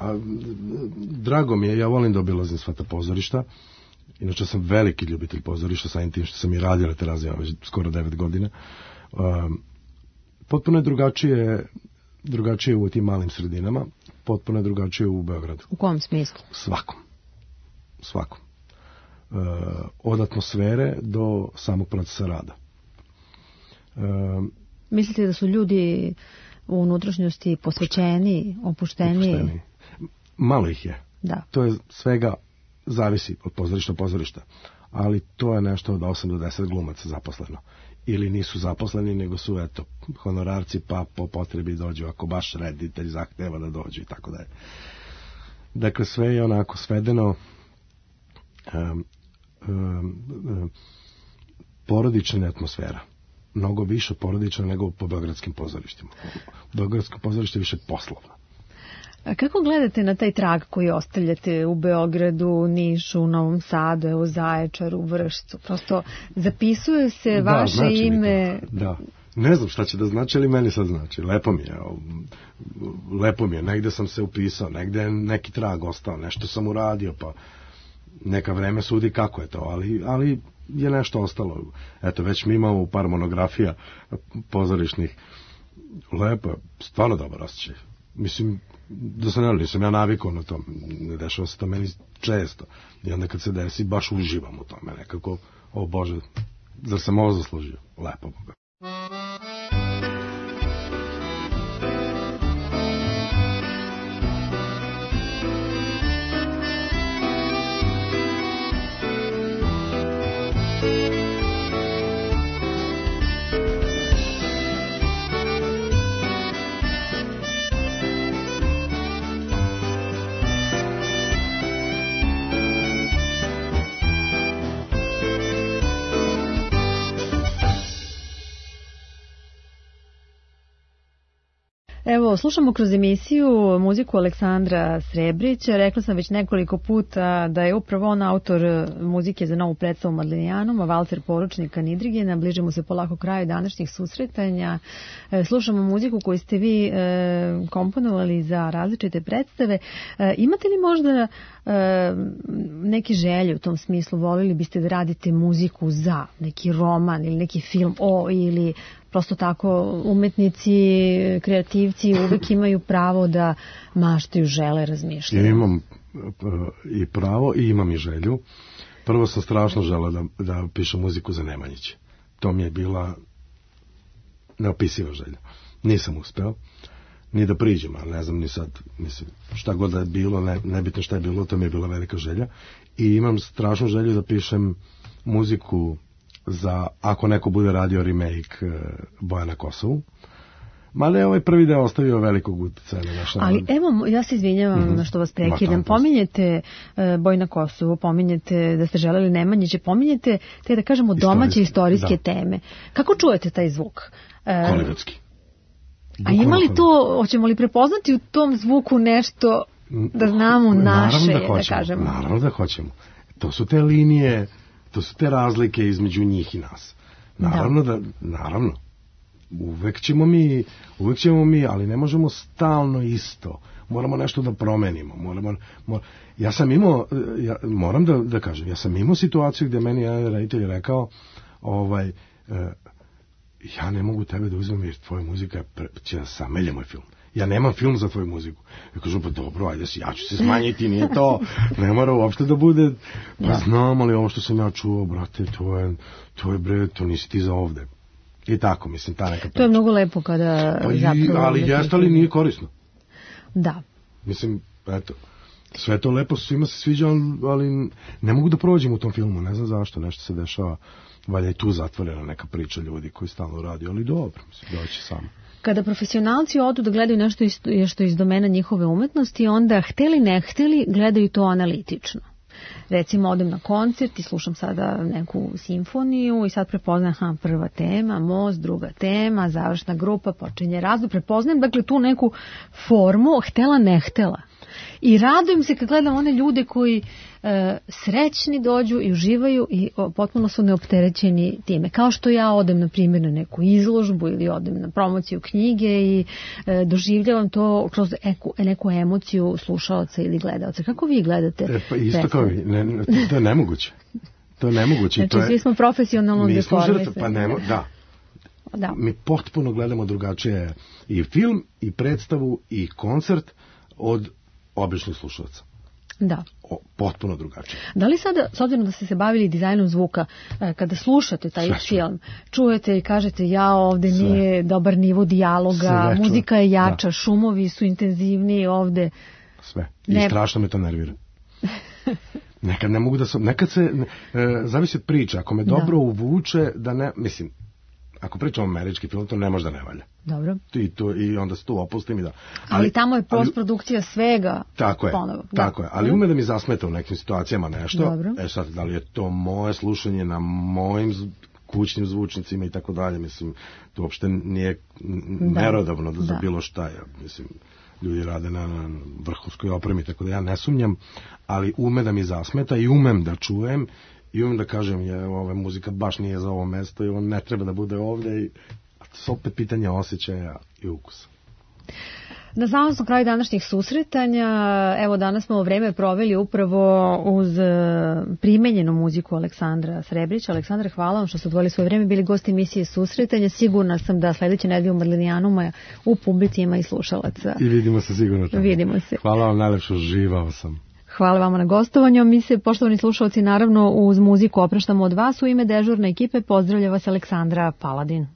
Drago mi je, ja volim da obilazim sva ta pozorišta. Inače sam veliki ljubitelj pozorišta, samim tim što sam i radio na Terazijama već skoro 9 godina. Potpuno je drugačije u tim malim sredinama, potpuno je drugačije u Beogradu. U kom smislu? Svakom. Od atmosfere do samog procesa rada. Mislite da su ljudi u unutrašnjosti posvećeni, opušteni? Malo ih je. Da. To je svega, zavisi od pozorišta, ali to je nešto od 8 do 10 glumaca zaposleno. Ili nisu zaposleni, nego su, honorarci, pa po potrebi dođu, ako baš reditelj zahteva da dođu i tako dalje. Dakle, sve je onako svedeno, porodična atmosfera. Mnogo više porodična nego po beogradskim pozorištima. Beogradsko pozorište je više poslovno. A kako gledate na taj trag koji ostavljate u Beogradu, Nišu, Novom Sadu, u Zaječaru, Vršcu? Prosto zapisuje se vaše znači ime... Da, ne znam šta će da znači, ali meni sad znači. Lepo mi je. Negde sam se upisao, negde je neki trag ostao, nešto sam uradio, pa neka vreme sudi kako je to, ali je nešto ostalo. Eto, već mi imamo par monografija pozorišnih. Lepo je, stvarno dobar osjećaj. Mislim, nisam ja navikao na to, ne dešava se to meni često. I onda kad se desi, baš uživam u tome nekako. O Bože, zar sam ovo zaslužio? Lepo Boga. Evo, slušamo kroz emisiju muziku Aleksandra Srebrića. Rekla sam već nekoliko puta da je upravo on autor muzike za novu predstavu Madlenijanom, a valcer Poručnika Nidrigena. Bližimo se polako kraju današnjih susretanja. Slušamo muziku koju ste vi komponovali za različite predstave. Imate li možda neke želje u tom smislu? Volili biste da radite muziku za neki roman ili neki film ili prosto tako umetnici, kreativci uvek imaju pravo da maštaju, žele, razmišljaju? Imam i pravo i imam i želju. Prvo sam strašno želeo da pišem muziku za Nemanjiće. To mi je bila neopisiva želja. Nisam uspeo ni da priđem, ali ne znam ni sad, mislim, šta god da je bilo, nebitno šta je bilo, to mi je bila velika želja. I imam strašnu želju da pišem muziku za, ako neko bude radio remake Boja na Kosovu. Mada je ovaj prvi deo ostavio velikog utjecaja na naš narod. Ali evo, ja se izvinjavam na što vas prekidam. Pominjete Boj na Kosovu, pominjete da ste želeli Nemanjiće, pominjete te, da kažemo, domaće istorijske teme. Kako čujete taj zvuk? Hollywoodski. A ima li to, hoćemo li prepoznati u tom zvuku nešto da znamo naše, da kažemo? Naravno da hoćemo. To su te linije, to su te razlike između njih i nas. Naravno. Uvek ćemo mi, ali ne možemo stalno isto. Moramo nešto da promenimo. Ja sam imao, moram da kažem, ja sam imao situaciju gdje meni jedan reditelj rekao, ja ne mogu tebe da uzmem jer tvoja muzika će da samelje moj film. Ja nemam film za tvoju muziku. Ja kažem, pa dobro, ajde, ja ću se smanjiti, nije to, ne mora uopšte da bude, pa znam, ali ovo što sam ja čuo, brate, to je bre, to nisi ti za ovde. I tako, mislim, ta neka priča. To je mnogo lepo kada zapravo... Ali jeste, ali nije korisno. Da. Mislim, eto, sve to lepo, svima se sviđa, ali ne mogu da prođem u tom filmu, ne znam zašto, nešto se dešava, valja i tu zatvorena neka priča ljudi koji stalno radi, ali dobro, mislim, doći samo. Kada profesionalci odu da gledaju nešto što je iz domena njihove umetnosti, onda hteli ne hteli gledaju to analitično. Recimo, odem na koncert i slušam sada neku simfoniju i sad prepoznajem prva tema, most, druga tema, završna grupa, počinje razvoj. Prepoznajem, dakle, tu neku formu, htela ne htela. I radujem se kad gledam one ljude koji srećni dođu i uživaju i potpuno su neopterećeni time. Kao što ja odem, na primjer, na neku izložbu ili odem na promociju knjige i doživljavam to kroz neku emociju slušaoca ili gledaoca. Kako vi gledate? Pa isto kao vi. To je nemoguće. To je nemoguće. Znači, svi smo profesionalno deformisani. Pa da. Mi potpuno gledamo drugačije i film, i predstavu, i koncert od običnih slušalaca. Da. Potpuno drugačije. Da li sada, s obzirom da ste se bavili dizajnom zvuka, kada slušate taj film, čujete i kažete ovde nije dobar nivo dijaloga, muzika je jača, šumovi su intenzivniji ovde. Sve. I strašno me to nervira. Nekad ne mogu da sam, nekad se, zavisi od priča, ako me dobro uvuče, da ne, mislim, ako pričamo američki film, to ne može da ne valja. Dobro. I onda se tu opustim i da... Ali tamo je postprodukcija svega ponovo. Tako je, ali ume da mi zasmeta u nekim situacijama nešto. Dobro. Sad, da li je to moje slušanje na mojim kućnim zvučnicima i tako dalje, mislim, to uopšte nije merodavno za bilo šta. Mislim, ljudi rade na vrhunskoj opremi, tako da ja ne sumnjam, ali ume da mi zasmeta i umem da čujem i umem da kažem, ova muzika baš nije za ovo mesto i on ne treba da bude ovde. A to su opet pitanje osjećaja i ukusa. Na samom smo kraju današnjih susretanja. Evo, danas smo vreme proveli upravo uz primenjenu muziku Aleksandra Srebrića. Aleksandra, hvala vam što ste odvojili svoje vreme, bili gosti emisije Susretanja. Sigurna sam da sledeće nedelje u Madlenijanuma u publici ima i slušalaca. I vidimo se sigurno tamo. Vidimo se. Hvala vam, najlepše, uživao sam. Hvala vama na gostovanju. Mi se, poštovani slušalci, naravno uz muziku opraštamo od vas. U ime dežurne ekipe pozdravlja vas Aleksandra Paladin.